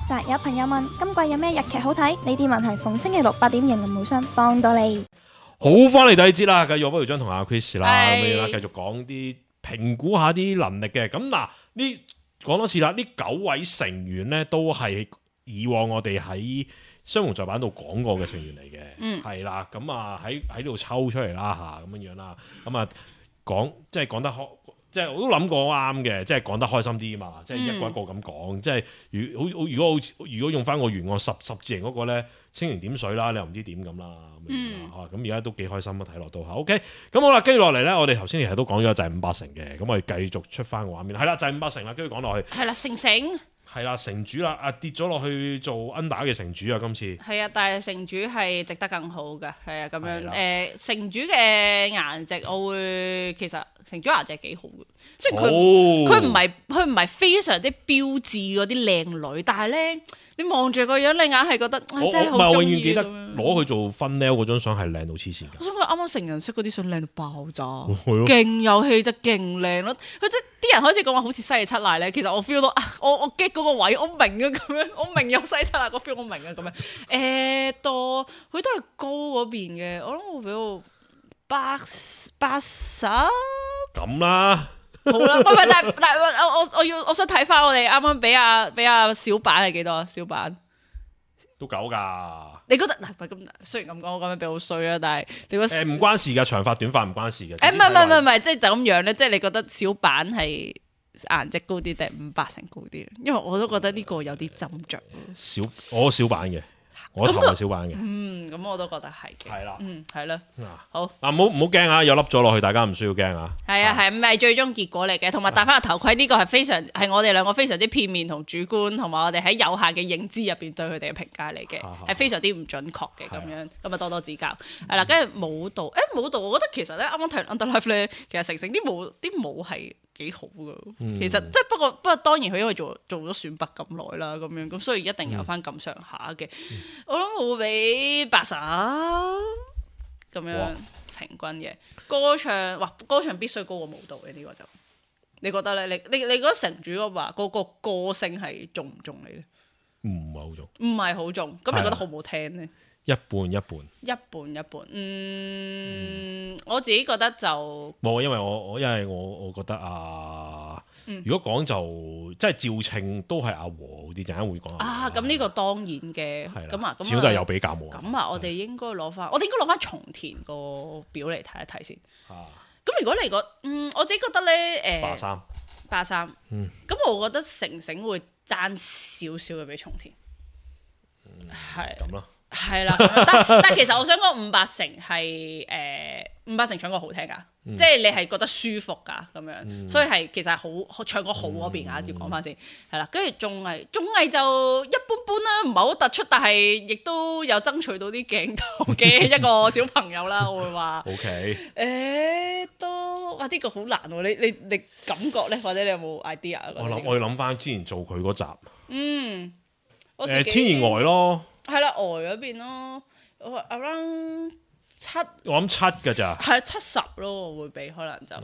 實有朋友問今季有咩日劇好睇？呢啲問題逢星期六8點迎林無雙幫到你。好，翻嚟第二節啦，繼續不如將同阿 Chris 啦，咁樣啦，繼續講啲評估下啲能力嘅。咁嗱，呢講多次啦，呢9位成員咧都係以往我哋喺雙雄在版度講過嘅成員嚟嘅，係啦，咁啊喺度抽出嚟啦嚇，咁樣啦，咁啊講即係講得開。即係我都諗過啱嘅，即係講得開心啲嘛，即係一個一個咁講。即係如果用翻個原案十字形嗰個咧，清零點水啦，你又唔知點咁啦。咁而家都幾開心啊，睇落都嚇。OK，咁好啦，跟住落嚟咧，我哋頭先其實都講咗就係5-8成嘅，咁我哋繼續出翻個畫面。係啦，就係5-8成啦，跟住講落去。係啦，成。係啦，城主啦，跌咗落去做 under 嘅城主啊，今次。係啊，但係城主係值得更好嘅，係啊，咁樣城主嘅顏值，我會其實城主顏值係幾好嘅，即係佢唔係非常之標緻嗰啲靚女，但係咧你望住個樣，你硬係覺得真係好中意。我永遠記得攞佢做分 nail 嗰張相係靚到黐線㗎。我想講啱啱成人式嗰啲相靚到爆炸，勁有氣質，勁靚咯。佢即係啲人開始講話好似西野七瀨咧，其實我 feel 到我 get 嗰個位，我明啊咁樣，我明有西野七瀨個 feel，我明啊咁樣。佢都係高嗰邊嘅，我諗我俾到80咁啦。好啦，但我想睇翻我哋啱啱俾阿小板係幾多？小板都9㗎。你覺得嗱？咁雖然咁講，我咁樣比好衰啊，但係你覺得唔關事㗎，長髮短髮唔關事嘅。唔係，即係就咁樣咧。即係你覺得小板係顏值高啲定5-8成高啲？因為我都覺得呢個有啲斟酌。我小板嘅。我頭係小板嘅，咁我都覺得係嘅，係啦，係啦，好唔好驚啊！有凹咗落去，大家唔需要驚啊。係啊，係唔係最終結果嚟嘅？同埋戴翻個頭盔呢個係我哋兩個非常之片面同主觀，同埋我哋喺有限嘅認知入邊對佢哋嘅評價嚟嘅，係非常之唔準確嘅咁樣，咁啊多指教。係啦，跟住舞蹈，舞蹈我覺得其實咧，啱啱睇完 Underlife 咧，其實成啲舞係幾好噶，其實即係不過當然佢因為做咗選拔咁耐啦，咁樣咁所以一定有翻咁上下嘅。我諗我會俾80咁樣平均嘅歌唱必須高過舞蹈嘅呢個就，你覺得咧？你覺得城主嘅話嗰個歌聲係中唔中你咧？唔係好中，唔係好中，咁你覺得好唔好聽咧？一半一半，我自己覺得就冇，因為我覺得如果講就即係趙稱都係阿和啲，陣間會講咁呢個當然嘅，咁始終都係有比較冇。咁我哋應該攞翻松田個表嚟睇一睇先。咁如果你我自己覺得咧，83，咁我覺得成成會爭少少嘅俾松田，係咁咯。係啦，但其實我想講5-8成係5-8成唱歌好聽噶，即係你係覺得舒服噶咁樣，所以係其實係好唱歌好嗰邊啊，要講翻先係啦。跟住綜藝就一般般啦，唔係好突出，但係亦都有爭取到啲鏡頭嘅一個小朋友啦，我會話。OK，都呢個好難喎，你感覺咧，或者你有冇 idea？我要諗翻之前做佢嗰集，天然呆咯。係啦，嗰邊咯，我 around 7，我諗7㗎咋，係70咯，我會俾可能就，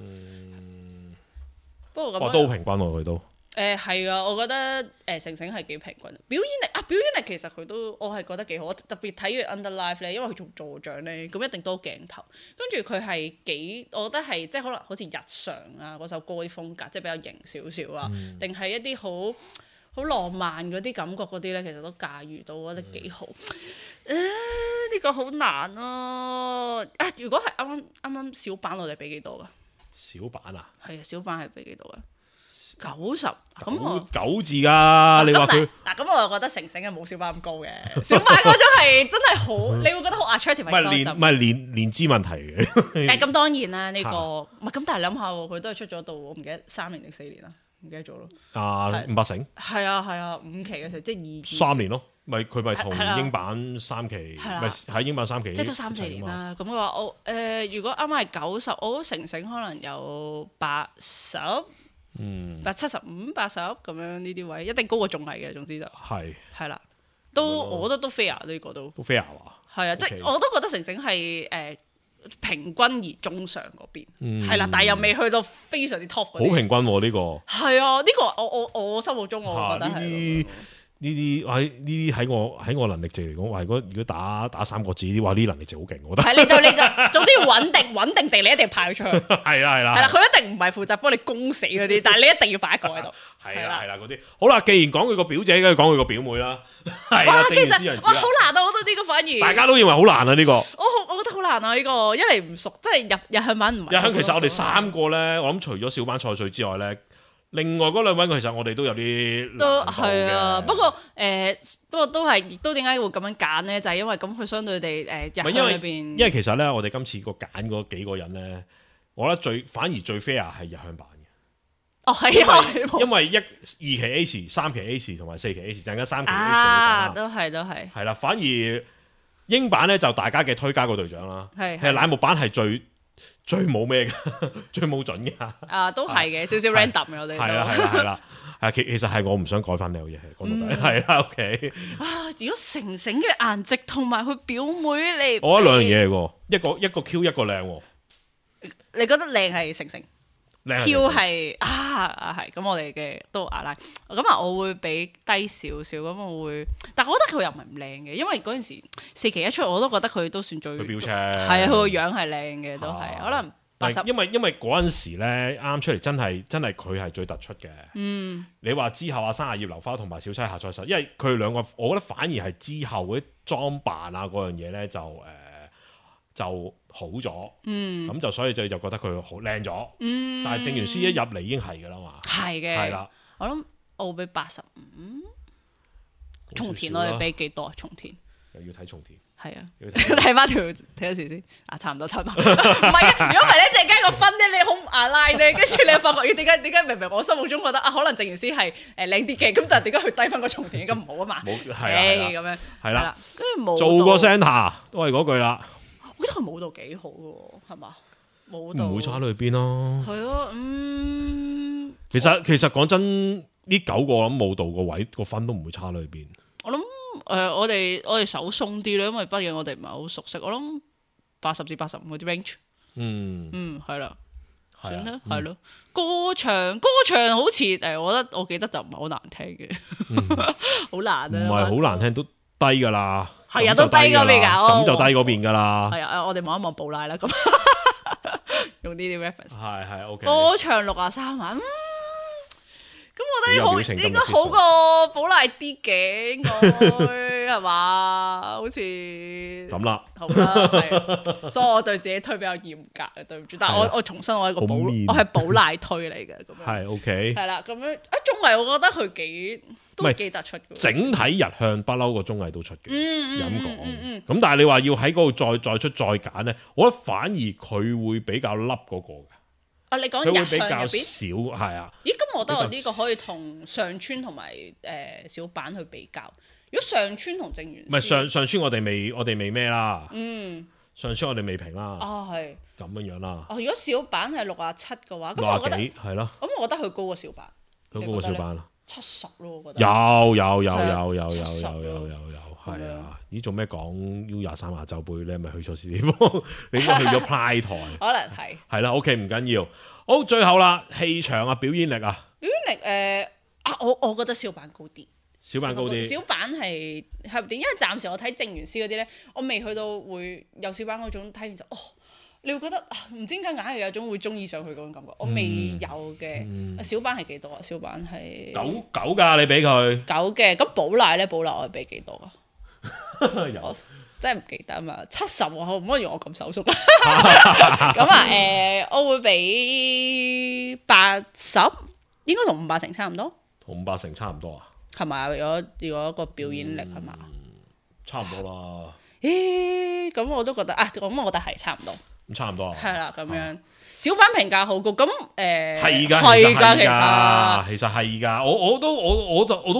不過咁，都好平均喎佢都。係啊，我覺得成成係幾平均，表演力其實佢都我係覺得幾好，特別睇完 Underlife 咧，因為佢做座長咧，咁一定多鏡頭，跟住佢係幾，我覺得係即係可能好似日常啊嗰首歌啲風格，即係比較型少少啊，定係一啲好浪漫嗰啲感覺嗰啲咧，其實都駕馭到，我覺得幾好。呢個好難咯。如果係啱小板，我哋俾幾多噶？小板啊？係啊，小板係俾幾多噶？90。咁我9字㗎，你話佢嗱咁我又覺得成成嘅冇小板咁高嘅。小板嗰種係真係好，你會覺得好 attractive。唔係年資問題嘅。咁當然啦，呢個唔係咁，但係諗下喎，佢都係出咗到我唔記得3年定4年啦。唔記得咗咯，5-8成係啊5期嘅時候即係3年咯，佢咪同英版3期，咪喺英版3期，即係都3-4年啦。咁佢話我如果啱啱係90，我成成可能有80， 75、80咁樣呢啲位，一定高過綜藝嘅。總之就係啦，我覺得都 fair 呢個都 fair 啊，係啊，即係我都覺得成成係平均而中上嗰邊，係啦，但係又未去到非常之 top 嗰啲。好平均喎呢個。係啊，呢個我心目中我覺得係。呢啲喺我能力值嚟講，話如果打三國志呢啲話，呢啲能力值好勁，我覺得。係你就總之要穩定地，你一定要派佢出去。係啦，佢一定唔係負責幫你攻死嗰啲，但係你一定要擺一個喺度。係啦嗰啲。好啦，既然講佢個表姐，梗係講佢個表妹啦。哇，其實好難啊！我覺得呢個反而大家都認為好難啊呢個。我覺得好難啊呢個，一嚟唔熟，即係日向版唔係。日向其實我哋三個咧，我諗除咗小班菜穗之外咧。另外嗰兩位其實我哋都有啲都係啊，不過都係，亦都點解會咁樣揀咧？就係因為咁佢相對地日向裏邊，因為其實咧，我哋今次個揀嗰幾個人咧，我覺得反而最 fair 係日向版嘅。哦，係啊，因為2期 A 時、3期 A 時同埋4期 A 時，陣間3期 A 時啊，都係係啦。反而英版咧就大家嘅推加個隊長啦，係乃木版係最冇咩嘅，最冇準嘅。啊，都係嘅，少少 random 嘅我哋。係啦，其實係我唔想改翻呢樣嘢，講到底係啦。OK。如果成嘅顏值同埋佢表妹嚟，我覺得兩樣嘢嚟喎，一個 Q 一個靚喎。你覺得靚係成？Q 係係咁，我哋嘅都阿拉咁啊，我會俾低少少咁，我會，但我覺得佢又唔係唔靚嘅，因為嗰陣時4期一出，我都覺得佢都算最標青，係啊，佢個樣係靚嘅，都係可能80。因為嗰陣時咧啱出嚟，真係佢係最突出嘅。你話之後三葉流花同埋小妻夏菜實，因為佢哋兩個，我覺得反而係之後嗰啲裝扮啊嗰樣嘢咧就好咗，咁就所以就覺得佢好靚咗，但係正元師一入嚟已經係噶啦嘛，係嘅，係啦，我諗我會俾85，松田我哋俾幾多啊？松田又要睇松田，係啊，睇翻條睇多時先，差唔多，唔係啊，如果唔係咧，陣間個分咧你好阿拉咧，跟住你又發覺咦點解明明我心目中覺得可能正元師係靚啲嘅，咁但係點解佢低翻個松田咁唔好啊嘛？冇係咁樣，係啦，跟住冇做個 center 都係嗰句啦。我覺得佢舞蹈幾好喎，係嘛？舞蹈唔會差到去邊咯。係咯，其實講真，呢9個咁舞蹈個位個分都唔會差到去邊。我諗我哋手鬆啲咧，因為畢竟我哋唔係好熟悉。我諗80至85嗰啲 range。係啦，算啦，係咯。歌唱好似我記得就唔係好難聽嘅，好難啊！唔係好難聽都低噶啦。係啊，都低嗰邊噶，咁就低嗰邊噶啦。係啊，我哋望一望布拉啦，咁用呢啲 reference。係 OK。歌唱63萬，咁我覺得應該好過布拉啲嘅，應該係嘛？好似咁啦，好啦，係。所以我對自己推比較嚴格嘅，對唔住。但係我重申，我係我係寶賴推嚟嘅，咁樣係 OK。係啦，咁樣綜藝我覺得佢都幾突出嘅。整體日向不嬲個綜藝都出嘅，咁講。咁但係你話要喺嗰度再出再揀咧，我覺得反而佢會比較凹嗰個嘅。你講日向入邊比較少係啊？咦，咁我覺得我呢個可以同上川同埋小板去比較。如果上川同正元，唔係上川我哋未咩啦。上川我哋未評啦。係咁樣啦。如果小板係67嘅話，咁我覺得係咯。咁我覺得佢高過小板。佢高過小板啦。70咯，我覺得。有。係啊，咦做咩講 U23亞洲杯咧？咪去錯地方？你應該去咗 Pride 台，可能係。係啦 ，OK 唔緊要。好，最後啦，氣場啊，表演力啊。表演力我覺得小板高啲。小板係點？因為暫時我睇正元師嗰啲咧，我未去到會有小板嗰種睇完就你會覺得唔知點解硬係有種會中意上去嗰種感覺。我未有嘅。小板係幾多啊？小板係9㗎，你俾佢9嘅。咁寶賴咧，寶賴我係俾幾多啊？我真係唔記得啊嘛，70喎，唔可以用我咁手縮。咁我會俾80，應該同58成差唔多。同58成差唔多啊？係咪？如果個表演力係嘛？差唔多啦。咁我都覺得咁我覺得係差唔多。咁差唔多啊。係啦，咁樣小板評價好高。咁係㗎，其實係㗎。我都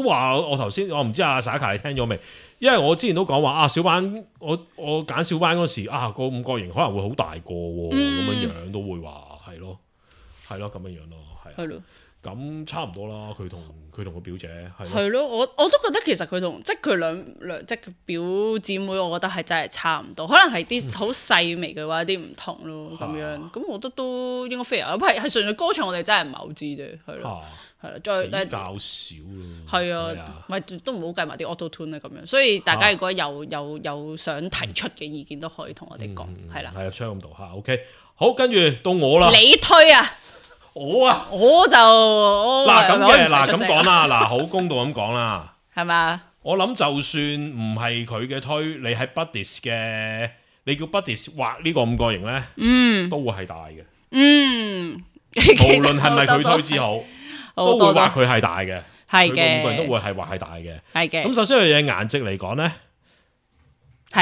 話我頭先，我唔知阿 Saka 你聽咗未？因為我之前都講話小板，我揀小板嗰時個五角形可能會好大個喎，咁樣都會話係咯咁樣咯，係咯。咁差唔多啦，佢同個表姐係咯，我都覺得其實佢同即係佢兩即係表姊妹，我覺得係真係差唔多，可能係啲好細微嘅話啲唔同咯咁樣，咁我覺得都應該 fair，係純粹歌唱我哋真係唔係好知啫，係咯，係啦，再比較少咯，係啊，咪都唔好計埋啲 auto tune 咧咁樣，所以大家如果有想提出嘅意見都可以同我哋講，係啦，係啊，窗咁度嚇 ，OK， 好，跟住到我啦，你推啊！我就嗱咁講啦，嗱好公道咁講啦，係嘛？我諗就算唔係佢嘅推，你喺 Buddies 嘅，你叫 Buddies 畫呢個五角形咧，都會係大嘅，無論係咪佢推之好，都會話佢係大嘅，係嘅，五個人都會係話係大嘅，係嘅。咁首先有嘢顏值嚟講咧，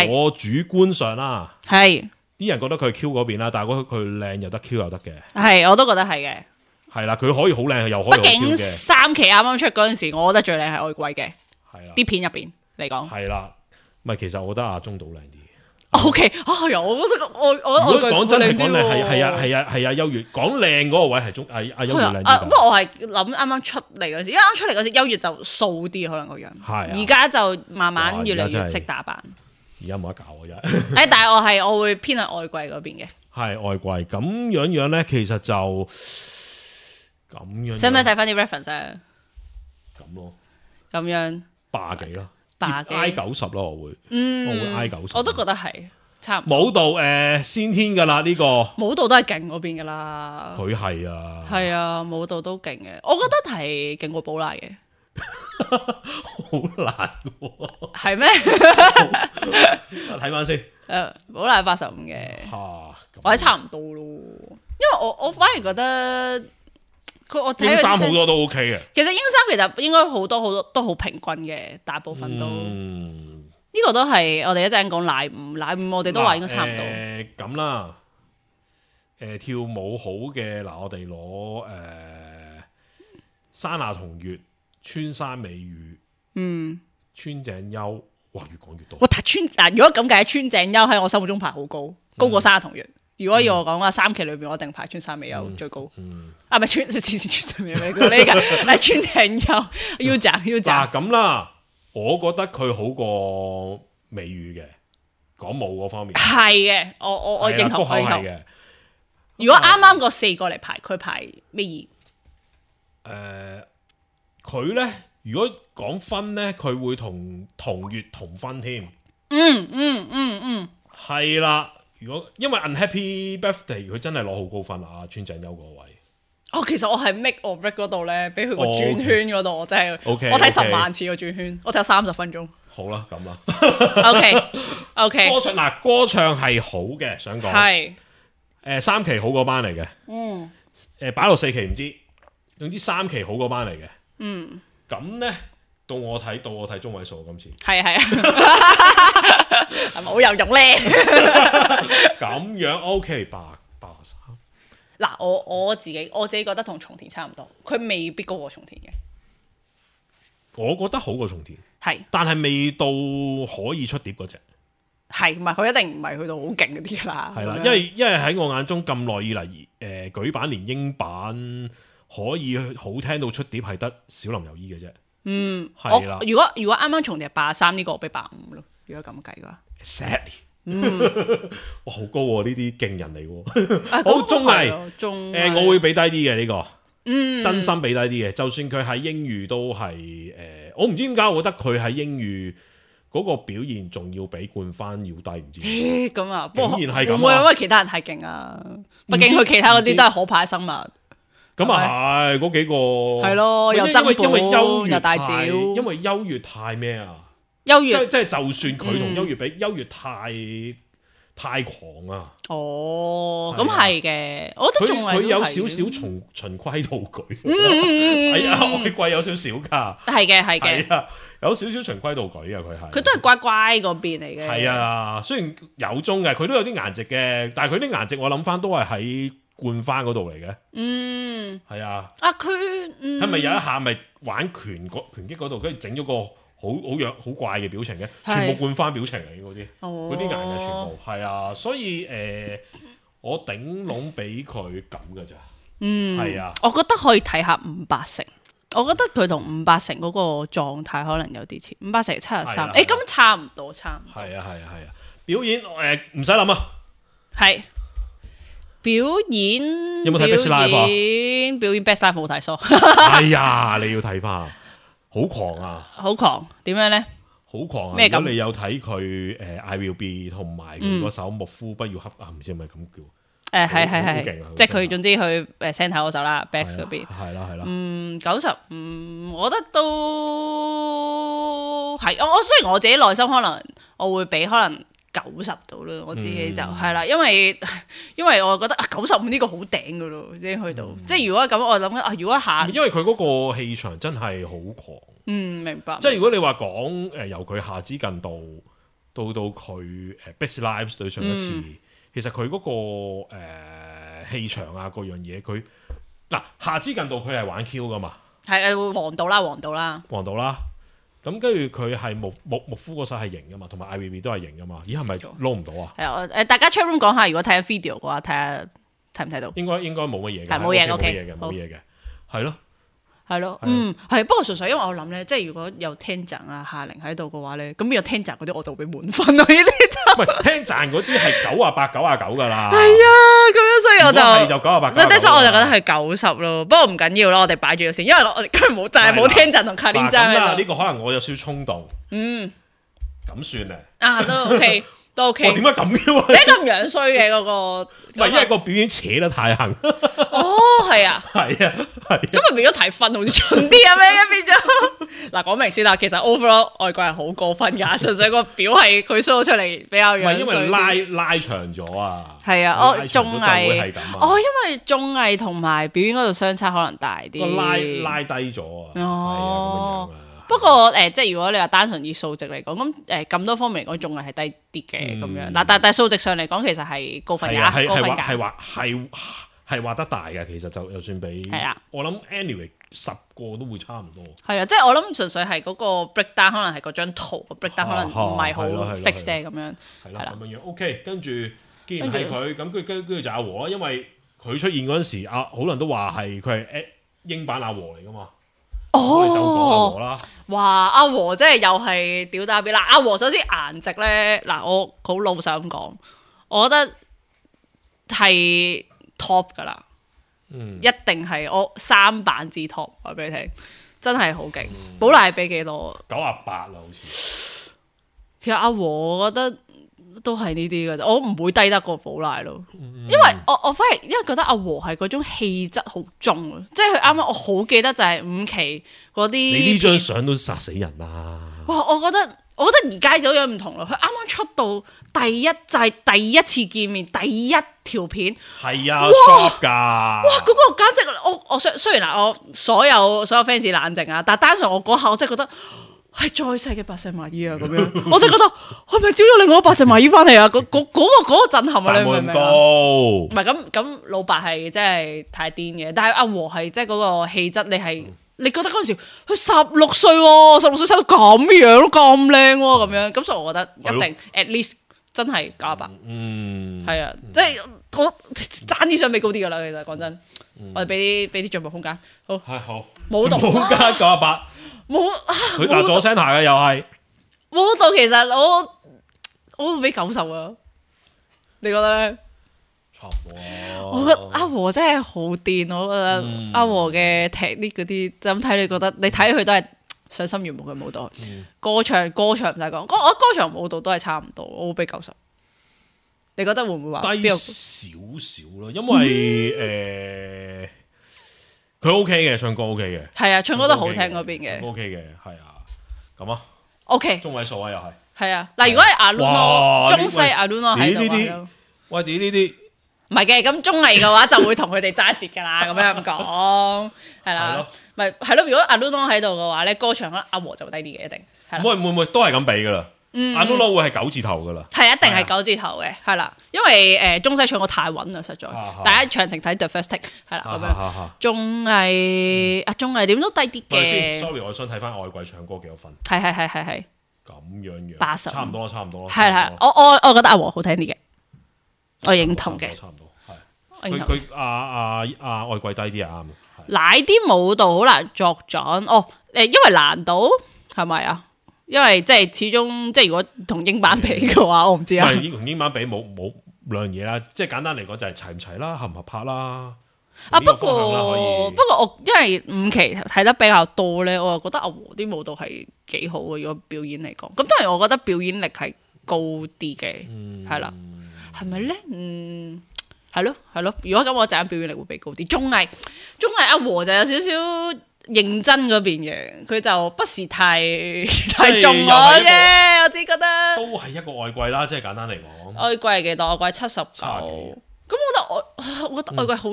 我主觀上啦，係。啲人覺得佢係 Q 嗰邊啦，但係佢靚又得 Q 又得嘅，係我都覺得係嘅，係啦，佢可以好靚又可以好 Q 嘅。畢竟三期啱啱出嗰陣時，我覺得最靚係愛貴嘅，係啦，啲片入邊嚟講，係啦，唔係其實我覺得阿中島靚啲。O K，我覺得我如果講真係講靚係啊優越講靚嗰個位係阿優越靚啲。不過我係諗啱啱出嚟嗰時，因為啱出嚟嗰時優越就素啲可能個樣，係而家就慢慢越嚟越識打扮。而家冇得搞我真係，但係我會偏向愛貴嗰邊嘅，係愛貴咁樣咧，其實就咁樣。使唔使睇翻啲 reference 啊？咁咯，咁樣80幾咯，I 90咯，我會，我會 I 90，我都覺得係差唔多。舞蹈先天噶啦呢個，舞蹈都係勁嗰邊噶啦，佢係啊，係啊，舞蹈都勁嘅，我覺得係勁過寶拉嘅。好難喎，係咩？睇翻先。寶拉85嘅，或者差唔多咯。因為我反而覺得我睇英三好多都 OK 嘅。其實英三其實應該好多都好平均嘅，大部分都。呢個都係我哋一陣講乃五，我哋都話應該差唔多。咁啦，跳舞好嘅嗱，我哋攞山下同月。川山美羽，川井優，哇，越講越多。如果咁計，川井優喺我心目中排好高，高過山下同月。如果要我講話3期裏邊，我一定排川山美優最高。啊，唔係川山美優呢個，係川井優。要賺。嗱咁啦，我覺得佢好過美羽嘅，講舞嗰方面。係嘅，我認同嘅。如果啱啱個4個嚟排，佢排咩二？佢咧，如果講分咧，佢會同月同分添。係啦。如果因為 Unhappy Birthday 佢真係攞好高分啊，川井優嗰位。其實我係 make or break 嗰度咧，俾佢個轉圈嗰度，我真係我睇10萬次個轉圈，我睇30分鐘。好啦，咁啦。OK。歌唱係好嘅，想講係3期好嗰班嚟嘅。擺落4期唔知，總之3期好嗰班嚟嘅。咁咧到我睇中位數今次係啊，係咪好有用咧？咁樣 OK 83。嗱，我自己覺得同松田差唔多，佢未必高過松田嘅。我覺得好過松田，係，但係未到可以出碟嗰隻。係，唔係佢一定唔係去到好勁嗰啲啦。係啦，因為喺我眼中咁耐以嚟，舉版連英版。可以好聽到出碟係得小林佑依嘅啫。係啦。如果啱啱重疊83呢個，我俾85咯。如果咁計嘅話 ，Sadly，哇好高喎！呢啲勁人嚟喎。好綜藝，我會俾低啲嘅呢個。真心俾低啲嘅。就算佢喺英語都係我唔知點解，我覺得佢喺英語嗰個表現仲要比冠番要低，唔知。咁啊，竟然係咁啊！會唔會因為其他人太勁啊？畢竟佢其他嗰啲都係可怕生物。咁啊係嗰幾個係咯，又曾寶又大趙，因為優越太咩啊？優越即係就算佢同優越比，優越太狂啊！哦，咁係嘅，我覺得仲係佢有少少循規蹈矩，係啊，愛貴有少少噶，係嘅，有少少循規蹈矩啊，佢都係乖乖嗰邊嚟嘅，係啊，雖然有中嘅，佢都有啲顏值嘅，但係佢啲顏值我諗翻都係喺冠番嗰度嚟嘅，係啊，佢係咪有一下咪玩拳擊嗰度，跟住整咗個好怪嘅表情嘅，全部冠番表情嚟嗰啲，嗰啲顏嘅全部係啊，所以我頂籠俾佢咁噶咋，係啊，我覺得可以睇下580，我覺得佢同580嗰個狀態可能有啲似，580 73，咁差唔多。係啊，表演唔使諗啊，係表演有冇睇 Best Live 表演 Best Live 冇睇疏，係啊，你要睇翻，好狂啊，好狂，點樣咧？好狂啊！咩咁？如果你有睇佢I Will Be 同埋佢嗰首莫夫不要恰啊，唔知係咪咁叫？係，即係佢總之佢聲頭嗰首啦 ，Back 嗰邊係啦。95，我覺得都係。我雖然我自己內心可能我會俾可能90度啦，我自己就係啦，因為我覺得95呢個好頂噶咯，已經去到。即係如果咁，我諗如果下，因為佢嗰個氣場真係好狂。明白。即係如果你話講由佢夏之近到佢Best Lives 對上一次，其實佢嗰個氣場啊各樣嘢，佢嗱夏之近到佢係玩 Q 噶嘛，係黃道啦。咁跟住佢係木夫嗰首係型噶嘛，同埋 IVB 都係型噶嘛，咦係咪撈唔到啊？係啊，大家 chat room 講下，如果睇下 video 嘅話，睇下睇唔睇到？應該冇乜嘢嘅，係冇嘢嘅，OK 冇嘢嘅，係咯。係咯，係，不過純粹因為我諗咧，即係如果有聽賺啊夏玲喺度嘅話咧，咁有聽賺嗰啲我就會俾滿分咯。呢啲就唔係聽賺嗰啲係98、99噶啦。係啊，咁樣所以我就98，所以我就覺得係90咯。不過唔緊要啦，我哋擺住咗先，因為我哋今日冇就係冇聽賺同卡丁賺喺度。呢個可能我有少少衝動。咁算咧。都 OK。我點解咁嘅？你咁樣衰嘅嗰個，唔係因為個表演扯得太行。係啊。咁咪變咗睇分好似蠢啲啊咩？變咗嗱，講明先啦，其實 overall 外國人好過分噶，純粹個表係佢 show 出嚟比較樣衰。因為拉長咗啊。係啊，綜藝因為綜藝同埋表演嗰度相差可能大啲。拉低咗啊。咁樣。不過即係如果你話單純以數值嚟講，咁咁多方面嚟講，仲係低啲嘅咁樣。但係數值上嚟講，其實係高分㗎，高分㗎。係畫得大嘅，其實就算比我諗 anyway 10個都會差唔多。係啊，即係我諗純粹係嗰個 breakdown 可能係嗰張圖個 breakdown 可能唔係好 fix 啫咁樣。係啦，咁樣 OK。跟住既然係佢，咁跟住就阿和啦，因為佢出現嗰陣時，好多人都話係佢係英版阿和嚟㗎嘛。就講阿和啦，哇！阿和真係又係屌打邊啦！阿和首先顏值咧，嗱我好老實咁講，我覺得係 top 噶啦，一定係我3版之 top， 話俾你聽，真係好勁。寶麗俾幾多？98啦，好似。其實阿和我覺得都係呢啲嘅，我唔會低得過寶麗咯，因為我反而因為覺得阿和係嗰種氣質好重啊，即係佢啱啱我好記得就係5期嗰啲，你呢張相都殺死人啦！哇，我覺得而家有樣唔同啦，佢啱啱出道就係第一次見面第一條片，係啊 shop 㗎，哇嗰個簡直我雖然我所有 fans 冷靜啊，但係單純我嗰下我真係覺得。係再細嘅白石麻衣啊，咁樣，我真係覺得係咪招咗另外一個白石麻衣翻嚟啊？嗰個震撼啊！你明唔明啊？唔係咁，老白係真係太癲嘅，但係阿和係即係嗰個氣質，你覺得嗰陣時佢16歲喎，16歲生到咁樣都咁靚喎，咁樣咁，所以我覺得一定 at least 真係98。係啊，即係我爭啲想俾高啲噶啦，其實講真，我哋俾啲進步空間。好係好，冇動空間98。冇佢打咗聲台嘅又係冇到，其實我會俾90啊！你覺得咧？差唔多啊！我覺得阿和真係好癲，我覺得阿和嘅踢呢嗰啲就咁睇，你覺得你睇佢都係賞心悅目嘅舞蹈。歌唱唔使講，我歌唱舞蹈都係差唔多，我會俾90。你覺得會唔會話低少少咯？因為佢 OK 嘅，唱歌 OK 嘅，係啊，唱歌都好聽嗰邊嘅 ，OK 嘅，係啊，咁啊 ，OK，中位數啊又係，係啊，嗱，如果係阿 Luno 中西阿 Luno 喺度啊，喂，呢啲唔係嘅，咁綜藝嘅話就會同佢哋揸節噶啦，咁樣講，係啦，咪係咯，如果阿 Luno 喺度嘅話咧，歌唱阿和就會低啲嘅，一定，會唔會都係咁比噶啦？阿 Luno 會係9字頭噶啦，係一定係9字頭嘅，係啦，因為中西唱歌太穩啦，實在，大家詳情睇 The First Take， 係啦咁樣，綜藝點都低啲嘅。Sorry， 我想睇翻外季唱歌幾多分？係咁樣80，差唔多，係我覺得阿和好聽啲嘅，我認同嘅，差唔多係。佢外貴低啲啊，啱。奶啲舞蹈好難作準因為難度係咪啊？因為即係始終即係如果同英版比嘅話，我唔知啊。唔係同英版比冇兩樣嘢啦，即係簡單嚟講就係齊唔齊啦，合唔合拍啦。不過我因為5期睇得比較多咧，我又覺得阿和啲舞蹈係幾好嘅，如果表演嚟講。咁當然我覺得表演力係高啲嘅，係啦，係咪咧？係咯。如果咁我陣表演力會比高啲。綜藝阿和就有少少認真嗰邊嘅，佢就不是太重我嘅，我自己覺得。都係一個外貴啦，即係簡單嚟講。外貴係幾多？外貴79。咁我覺得外貴好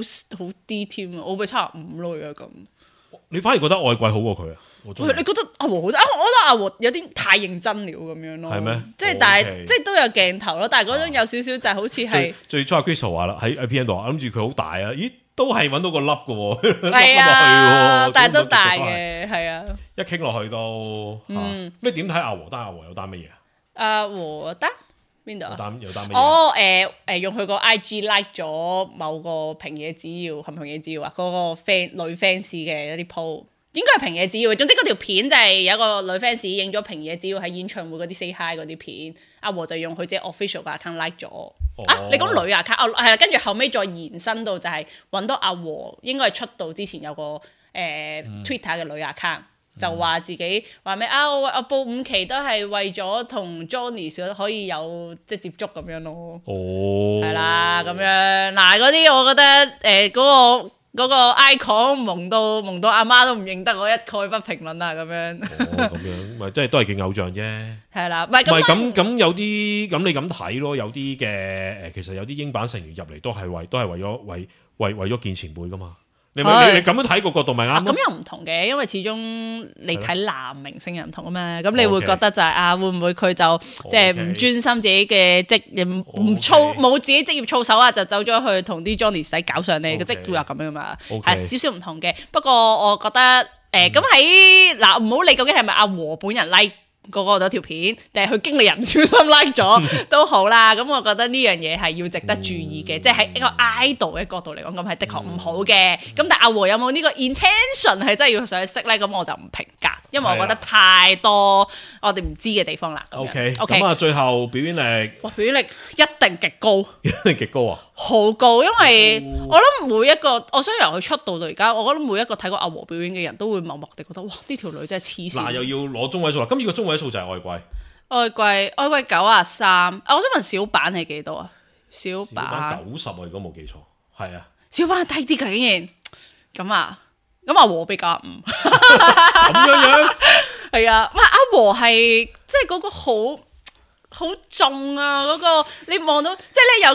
啲添啊，我會75咯而家咁。你反而覺得外貴好過佢啊？你覺得阿和好啲？我覺得阿和有啲太認真了咁樣咯。係咩？即係但係即係都有鏡頭咯，但係嗰種有少少就係好似係最初阿 Crystal 話啦，喺 P N 度，諗住佢好大啊，咦都係揾到個粒嘅喎，係啊，但係都大嘅，係啊。一傾落去都咩點睇阿和單？阿和有單乜嘢啊？阿和單邊度啊？有單乜嘢？用佢個 IG like 咗某個平野紫耀，係咪平野紫耀啊？嗰個女 fans 嘅一啲 po， 應該係平野紫耀。總之嗰條片就係有一個女 fans 影咗平野紫耀喺演唱會嗰啲 say hi 嗰啲片，阿和就用佢自己 official 嘅 account like 咗。你講女 account 係啦，跟住後尾再延伸到就係揾到阿和應該係出道之前有個Twitter 嘅女 account。就話自己話咩啊？我報5期都係為咗同 Johnny 可以有即係接觸咁樣咯。係啦，咁樣嗱嗰啲，我覺得嗰個 icon 蒙到阿媽都唔認得，我一概不評論啦。咁樣。咁樣咪即係都係勁偶像啫。係啦，唔係咁有啲咁你咁睇咯，有啲嘅其實有啲英版成員入嚟都係為咗見前輩噶嘛。你咁樣睇個角度咪啱咯？咁又唔同嘅，因為始終你睇男明星又唔同啊嘛。咁你會覺得就係會唔會佢就即係唔專心自己嘅職業，冇自己職業操守啊，就走咗去同啲 Johnny 使搞上你嘅職業啊咁樣嘛。係少少唔同嘅。不過我覺得咁喺唔好理究竟係咪阿和本人 like 嗰嗰條片，定係佢經理人唔小心 like 咗都好啦。咁我覺得呢樣嘢係要值得注意嘅，即係喺一個 idol 嘅角度嚟講，咁係的確唔好嘅。咁但係阿和有冇呢個 intention 係真係要上去識咧？咁我就唔評價，因為我覺得太多我哋唔知嘅地方啦。OK，咁啊，最後表演力，表演力一定極高，一定極高啊！好高，因為我諗每一個，我想由佢出道到而家，我覺得每一個睇過阿和表演嘅人都會默默地覺得，哇！呢條女真係黐線。又要攞中位數啦，今次個中位數就係外貴。外貴93，我想問小版係幾多啊？小版90啊，如果冇記錯，係啊。小版低啲㗎竟然，咁阿和比95。咁樣係啊，阿和係即係嗰個好重啊！嗰個你望到，即係咧有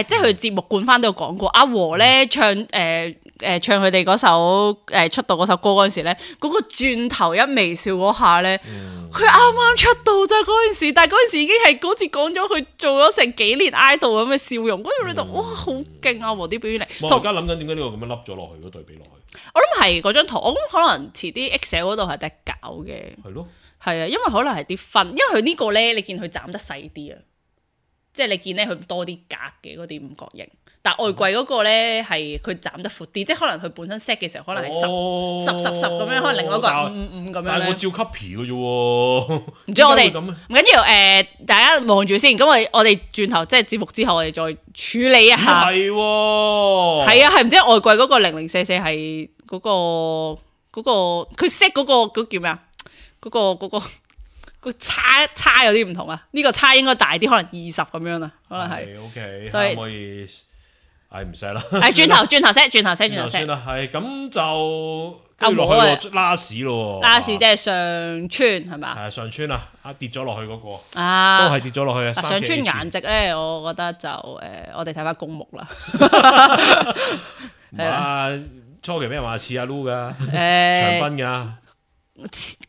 即係佢節目冠番都有講過，阿和咧唱佢哋嗰首出道嗰首歌嗰陣時咧，嗰個轉頭一微笑嗰下咧，佢啱啱出道咋嗰陣時，但係嗰陣時已經係好似講咗佢做咗成幾年 idol 咁嘅笑容，嗰度你就哇好勁啊！和啲表演力。我而家諗緊點解呢個咁樣凹咗落去嗰對比落去？我諗係嗰張圖，我諗可能遲啲 Excel 嗰度係得搞嘅。係咯。係啊，因為可能係啲分，因為佢呢個咧，你見佢斬得細啲啊，即係你見咧佢多啲格嘅嗰啲五角形，但外貴嗰個咧係佢斬得闊啲，即係可能佢本身 set 嘅時候可能係10咁樣，可能另外一個係5咁樣咧。但係我照 copy 嘅啫喎，唔知我哋唔緊要大家望住先，咁我哋轉頭即係節目之後，我哋再處理一下。係喎，係啊，係唔知外貴嗰個0044係嗰個佢 set 嗰個叫咩啊？嗰個差有啲唔同啊！呢個差應該大啲，可能20咁樣啊，可能係。OK，所以可以，唔使啦。轉頭 set 算啦，係咁就跟住落去拉屎咯。拉屎即係上川係嘛？係上川啊！跌咗落去嗰個啊，都係跌咗落去啊！上川顏值咧，我覺得就我哋睇翻公目啦。係啦，初期俾人話似阿 Lu 噶，長濱噶。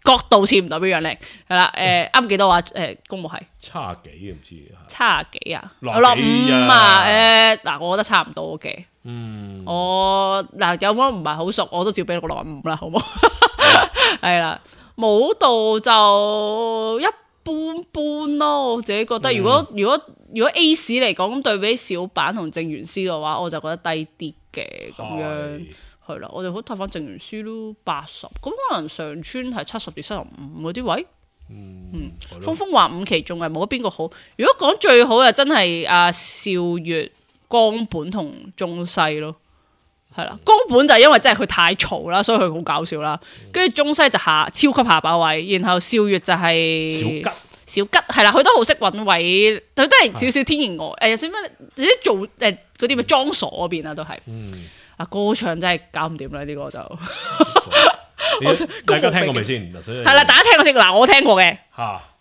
角度似唔代表樣靚，係啦，啱幾多話？公務係70幾唔知70幾啊，65啊，嗱，我覺得差唔多嘅，我嗱有冇唔係好熟，我都照俾個65啦，好冇？係啦，舞蹈就一般般咯，我自己覺得，如果如果 A 市嚟講，對比小板同正元師嘅話，我就覺得低啲嘅咁樣。係啦，我哋好睇翻正元師咯，80，咁可能上村係70至75嗰啲位。峰峰話5期仲係冇邊個好。如果講最好就真係阿少月、江本同中西咯。係啦，江本就因為真係佢太嘈啦，所以佢好搞笑啦。跟住中西就超級下把位，然後少月就係小吉係啦，佢都好識揾位，佢都係少少天然呆，有少咩自己做嗰啲咩裝傻嗰邊啊，都係。歌唱真係搞唔掂啦，呢個就。大家聽過未先？係啦，大家聽過先。嗱，我聽過嘅。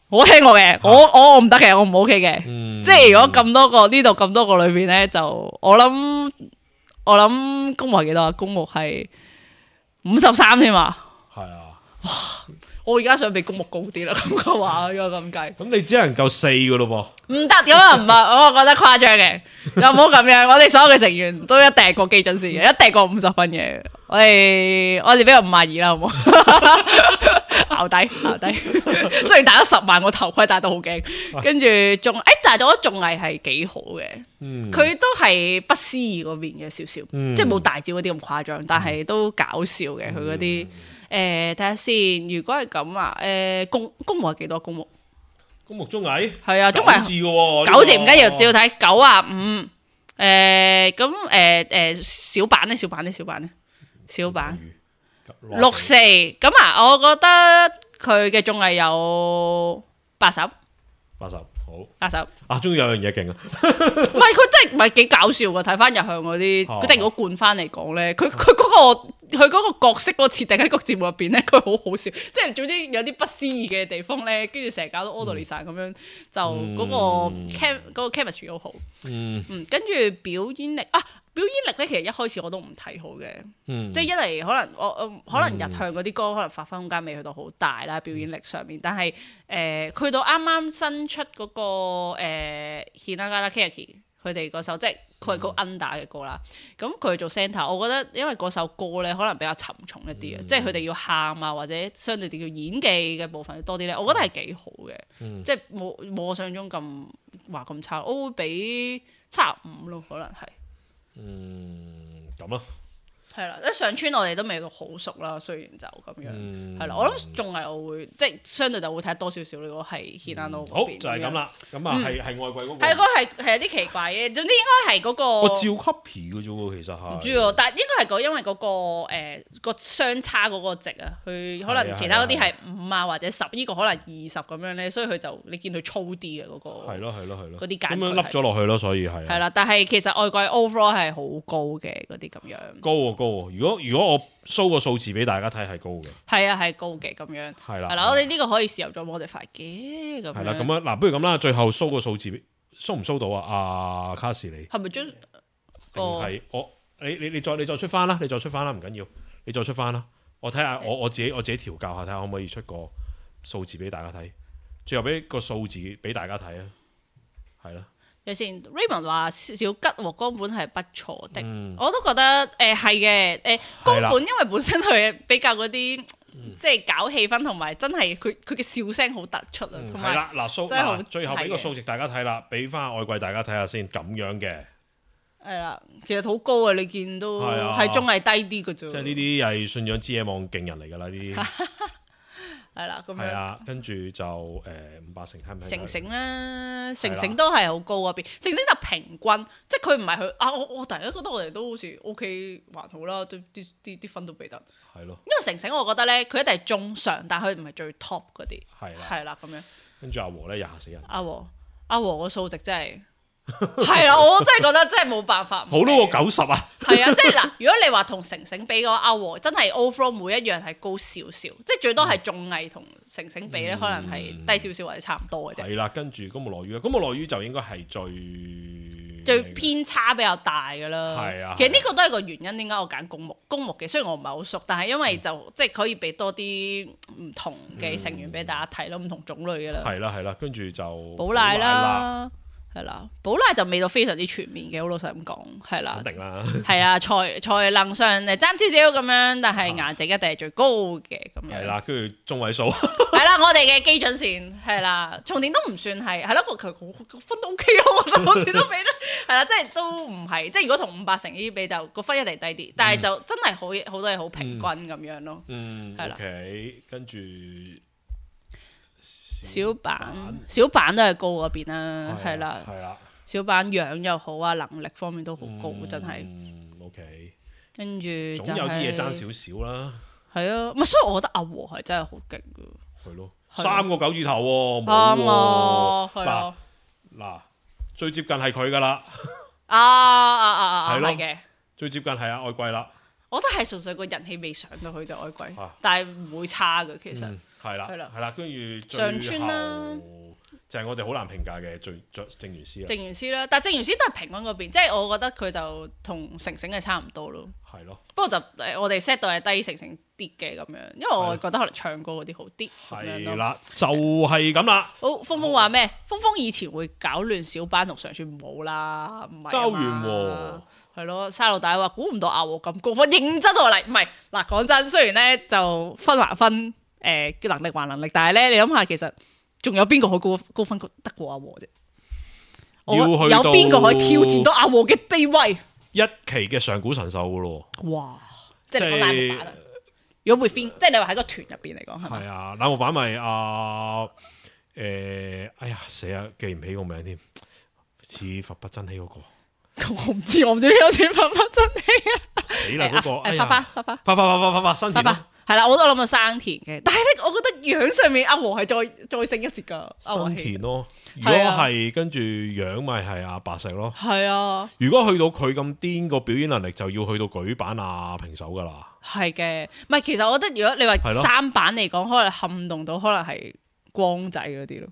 我聽過嘅，我唔得嘅，我唔 OK 嘅。即係如果咁多個呢度咁多個裏邊咧，就我諗公目係幾多啊？公目係53添嘛。係啊。哇！我而家想比公目高啲啦，咁嘅話，如果咁計。咁你只能夠4噶咯噃。唔得，咁啊唔係，我覺得誇張嘅，又唔好咁樣。我哋所有嘅成員都一定係過基準線嘅，一定係過50分嘅。我哋俾個52啦，好唔好？淆底。雖然戴咗10萬個頭盔，戴得好驚。跟住仲但係我覺得綜藝係幾好嘅。佢都係不思議嗰邊嘅少少，即係冇大招嗰啲咁誇張，但係都搞笑嘅佢嗰啲。睇下先，如果係咁啊，公目係幾多？公目綜藝係啊，綜藝字嘅喎，9字唔緊要，只要睇95。咁小版咧，64咁啊，我覺得佢嘅綜藝有80。好80啊！終於有樣嘢勁啊！唔係佢真係唔係幾搞笑㗎，睇翻日向嗰啲，佢即係如果灌翻嚟講咧，佢嗰個角色嗰個設定喺個節目入邊咧，佢好好笑，即係總之有啲不思議嘅地方咧，跟住成日搞到 orderly 晒咁樣，就嗰個 chemistry 好好。跟住表演力咧，其實一開始我都唔睇好嘅，即係一嚟可能日向嗰啲歌可能發揮空間未去到好大啦，表演力上面，但係去到啱啱新出嗰個Hinagana Keyaki 佢哋嗰首即係佢係個 under 嘅歌啦，咁佢做 center， 我覺得因為嗰首歌咧可能比較沉重一啲嘅，即係佢哋要喊啊或者相對地叫演技嘅部分多啲咧，我覺得係幾好嘅，即係冇我想像中咁話咁差，我會俾75咯，可能係。咁咯，係啦，一上村我哋都未到好熟啦，雖然就咁樣，係啦，我諗綜藝我會即係相對就會睇得多少少。如果係 Hinano 嗰邊，好就係咁啦，咁啊係外櫃嗰個，係嗰個係有啲奇怪嘅，總之應該係嗰個我照 copy 嘅啫喎，其實係唔知喎，但係應該係因為嗰個個相差嗰個值啊，佢可能其他嗰啲係5啊或者10，呢個可能20咁樣咧，所以佢就你見佢粗啲嘅嗰個，係咯，嗰啲簡咁樣凹咗落去咯，所以係啦，但係其實外櫃 overall 係好高嘅嗰啲咁樣，高喎，如果我 show 個數字俾大家睇係高嘅，係啊係高嘅咁樣，係啦，我哋呢個可以時候再modify嘅咁樣，係啦，咁樣嗱，不如咁啦，最後 show 個數字，show 唔 show 到啊？阿卡士你係咪將係我你再出翻啦，你再出翻啦，唔緊要，你再出翻啦，我睇下我自己調教下，睇下可唔可以出個數字俾大家睇，最後俾個數字俾大家睇啊，係啦。有先 Raymond 話小吉和江本係不錯的，我都覺得係嘅，江本因為本身佢比較嗰啲即係搞氣氛，同埋真係佢嘅笑聲好突出啊，同埋嗱最後俾個數值大家睇啦，俾翻外櫃大家睇下先，咁樣嘅係啦，其實好高啊，你見都係綜藝低啲嘅啫，即係呢啲係信仰之野望勁人嚟㗎啦，呢啲。係啦，咁樣。係啊，跟住就500成係咪？成啦，成都係好高嗰邊。成就平均，即係佢唔係佢啊！我突然間覺得我哋都好似 OK 還好啦，啲分都俾得。係咯。因為成我覺得咧，佢一定係中上，但係佢唔係最 top 嗰啲。係啦，咁樣。跟住阿和咧，嚇死人。阿和個數值真係。係啊，我真係覺得真係冇辦法。好多過90啊！係啊，即係嗱，如果你話同成比個阿和，真係 overall 每一樣係高少少，即係最多係綜藝同成比咧，可能係低少少或者差唔多嘅啫。係啦，跟住公務落雨，公務落雨就應該係最偏差比較大㗎啦。係啊，其實呢個都係個原因，點解我揀公目嘅？雖然我唔係好熟，但係因為就即係可以俾多啲唔同嘅成員俾大家睇咯，唔同種類嘅啦。係啦，跟住就寶瀨啦。係啦，寶拉就未到非常之全面嘅，好老實咁講，係啦，肯定啦，係啊，才能上爭少少咁樣，但係顏值一定係最高嘅咁樣。係啦，跟住中位數。係啦，我哋嘅基準線係啦，重點都唔算係，係咯，佢分都 OK 咯，我覺得好似都俾得係啦，即係都唔係，即係如果同500乘呢啲比就個分一定低啲，但係就真係好多嘢好平均咁樣咯。係啦。OK，跟住。小板都係高嗰邊啦，係啦，小板樣又好啊，能力方面都好高，真係。OK，跟住總有啲嘢爭少少啦。係啊，唔係，所以我覺得阿和係真係好勁噶。係咯，3個9字頭喎，啱啊，係啊。嗱，最接近係佢噶啦。係嘅。最接近係阿愛貴啦。我覺得係純粹個人氣未上到去就愛貴，但係唔會差嘅其實。係啦，跟住上川啦，就係我哋好難評價嘅正元師啦。正元師啦，但係正元師都係平均嗰邊，即係我覺得佢就同成成係差唔多咯。係咯，不過就我哋 set 到係低成成啲嘅咁樣，因為我覺得可能唱歌嗰啲好啲。係啦，就係咁啦。好，峰峰話咩？峰峰以前會搞亂小班同上川冇啦，唔係周元喎。係咯，沙老大話估唔到阿和咁高分，認真我嚟，唔係嗱講真，雖然咧就分還分。能力還能力，但係咧，你諗下，其實仲有邊個可以高分得過阿和啫？有邊個可以挑戰到阿和嘅地位？一期嘅上古神獸噶咯。哇！即係冷木板啊！如果會 fin，即係你話喺個團入邊嚟講係咪？係啊，冷木板咪哎呀死啊，記唔起個名添，似佛不真希嗰個。我唔知有似佛不真希啊！死啦嗰個！花新田咯。係啦，我都諗到生田嘅，但係咧，我覺得樣上面阿和係再升一截噶。生田咯，如果係跟住樣咪係阿白石咯。係啊，如果去到佢咁癲個表演能力，就要去到舉板啊平手噶啦。係嘅，唔係其實我覺得如果你話三板嚟講，可能撼動到可能係光仔嗰啲咯。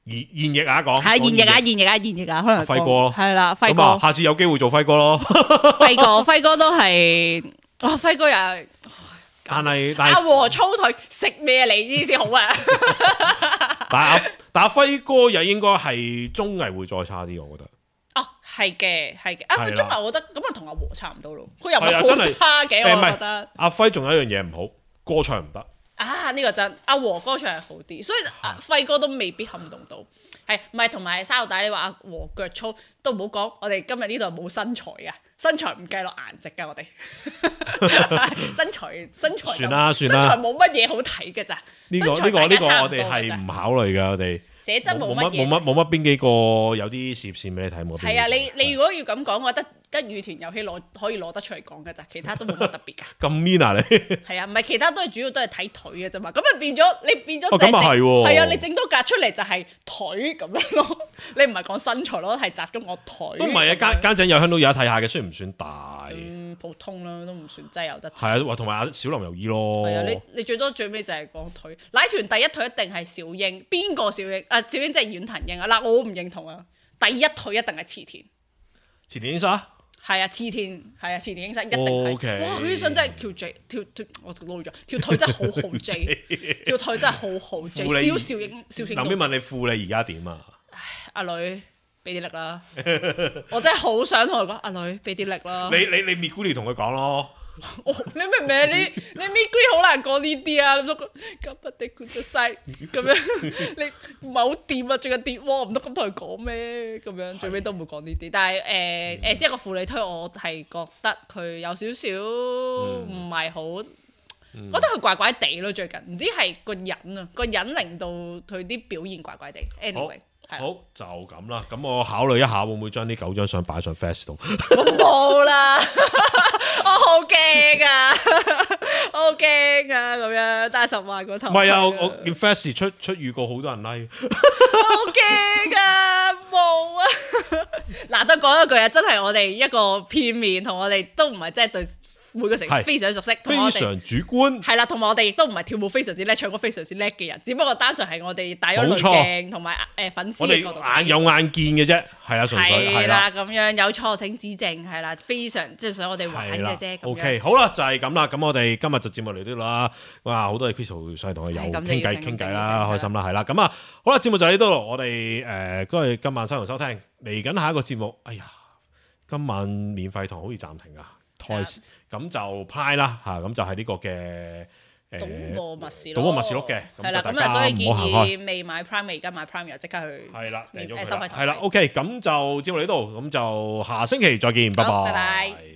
現役啊講，係現役啊，可能輝哥咯，係啦，輝哥，下次有機會做輝哥咯。輝哥都係，輝哥又係。但係阿和粗腿食咩嚟呢先好啊？但阿輝哥又應該係綜藝會再差啲，我覺得。哦，係嘅。佢綜藝我覺得咁啊，同阿和差唔多咯。佢又唔係好差嘅，我覺得。阿輝仲有一樣嘢唔好，歌唱唔得。呢個真，阿和歌唱係好啲，所以輝哥都未必撼動到。係唔係同埋沙老大？你話阿和腳粗都唔好講，我哋今日呢度冇身材嘅。身材唔計落顏值㗎，我哋身材算啦，身材冇乜嘢好睇嘅咋。呢個我哋係唔考慮㗎，我哋寫真冇乜邊幾個有啲事業線俾你睇冇？係啊，你如果要咁講，我覺得得羽團遊戲可以攞得出嚟講㗎咋，其他都冇乜特別㗎。咁 mean 啊你？係啊，唔係其他都係主要都係睇腿嘅啫嘛，咁啊變咗咁啊係喎。係啊，你整多格出嚟就係腿咁樣咯，你唔係講身材咯，係集中我腿。都唔係啊，間井有香都有得睇下嘅，雖然唔算大。普通啦，都唔算真係有得睇。係啊，同埋阿小林由依咯。係啊，你最多最尾就係講腿。奶團第一腿一定係小英，邊個小英？小英即係遠藤英啊！嗱，我唔認同啊。第一腿一定係池田。池田英沙。係啊，池田英沙一定係。哇！佢啲相真係跳，我撈咗條腿真係好好 J， 條腿真係好好 J。小英。諗邊問你副你而家點啊？阿女。俾啲力啦！我真係好想同佢講，阿女俾啲力啦！你 Meguri 同佢講咯。你明唔明？你 Meguri 好難講呢啲啊！咁不地管得晒咁樣，你唔係好掂啊！最近跌喎，唔得咁同佢講咩？咁樣最尾都唔會講呢啲。但係先一個負你推，我係覺得佢有少少唔係好，覺得佢怪怪地咯。最近唔知係個人令到佢啲表現怪怪地。Anyway。好就咁啦，咁我考慮一下會唔會將呢9張相擺上 Fast 度。我冇啦，我好驚啊，好驚啊，咁樣帶10萬個頭。唔係啊，我見 Fast 出預告好多人 like。好驚啊，冇啊！嗱，都講一句啊，真係我哋一個片面，同我哋都唔係真係對每個成員非常熟悉，非常主觀。係啦，同埋我哋亦都唔係跳舞非常之叻，唱歌非常之叻嘅人，只不過單純係我哋帶咗濾鏡同埋粉絲嘅角度，我哋眼有眼見嘅啫，係啊，純粹係啦咁樣，有錯請指正，係啦，非常即係想我哋玩嘅啫。OK， 好啦，就係咁啦，咁我哋今日就節目嚟到啦。哇，好多謝 Crystal 上嚟同我有傾偈啦，開心啦，係啦，咁啊，好啦，節目就喺度，我哋嗰日今晚收收聽，嚟緊下一個節目，哎呀，今晚免費堂好似暫停啊。咁就 Prime 啦嚇，咁就係呢個嘅賭博密事錄嘅，係啦，咁啊所以建議未買 Prime 而家買 Prime 又即刻去係啦，收費台。係啦 ，OK，咁就節目嚟到，咁就下星期再見，拜拜。